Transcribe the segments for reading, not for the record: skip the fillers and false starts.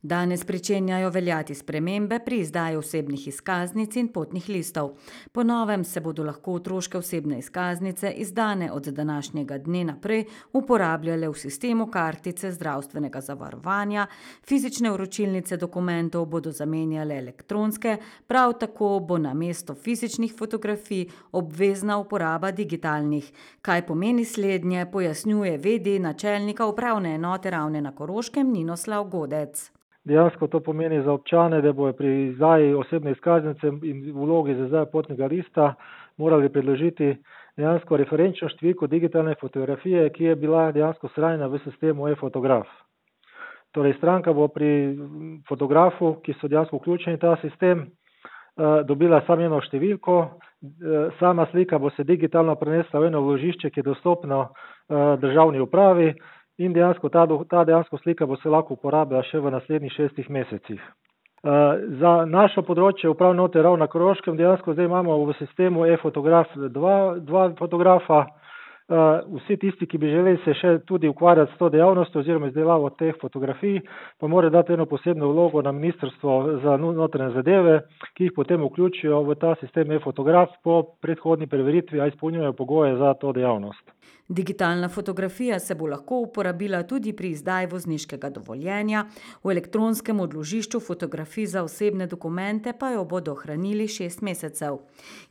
Danes pričenjajo veljati spremembe pri izdaji osebnih izkaznic in potnih listov. Po novem se bodo lahko otroške osebne izkaznice, izdane od današnjega dne naprej, uporabljale v sistemu kartice zdravstvenega zavarovanja, fizične vročilnice dokumentov bodo zamenjale elektronske, prav tako bo namesto fizičnih fotografij obvezna uporaba digitalnih. Kaj pomeni slednje, pojasnjuje v.d. načelnika upravne enote Ravne na Koroškem Ninoslav Godec. Dejansko to pomeni za občane, da bodo pri izdaji osebne izkaznice in vlogi za izdajo potnega lista morali predložiti dejansko referenčno številko digitalne fotografije, ki je bila dejansko shranjena v sistemu e-fotograf. Torej, stranka bo pri fotografu, ki so dejansko vključeni v ta sistem, dobila samo eno številko, sama slika bo se digitalno prenesla v eno vložišče, ki je dostopno državni upravi, in dejansko ta dejansko slika bo se lahko uporabljala še v naslednjih 6 mesecih. Za našo področje upravne enote Ravne na Koroškem dejansko zdaj imamo v sistemu e-fotograf dva fotografa. Vsi tisti, ki bi želeli se še tudi ukvarjati s to dejavnostjo oziroma izdelavo teh fotografij, pa morajo dati eno posebno vlogo na Ministrstvo za notranje zadeve, ki jih potem vključijo v ta sistem e-fotograf po predhodni preveritvi, a izpolnjujejo pogoje za to dejavnost. Digitalna fotografija se bo lahko uporabila tudi pri izdaji vozniškega dovoljenja, v elektronskem odložišču fotografij za osebne dokumente pa jo bodo hranili 6 mesecev.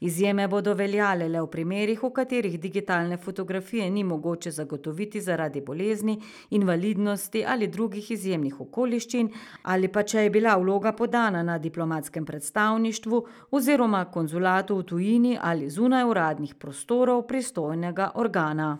Izjeme bodo veljale le v primerih, v katerih digitalne fotografije ni mogoče zagotoviti zaradi bolezni, invalidnosti ali drugih izjemnih okoliščin, ali pa če je bila vloga podana na diplomatskem predstavništvu oziroma konzulatu v tujini ali zunaj uradnih prostorov pristojnega organa.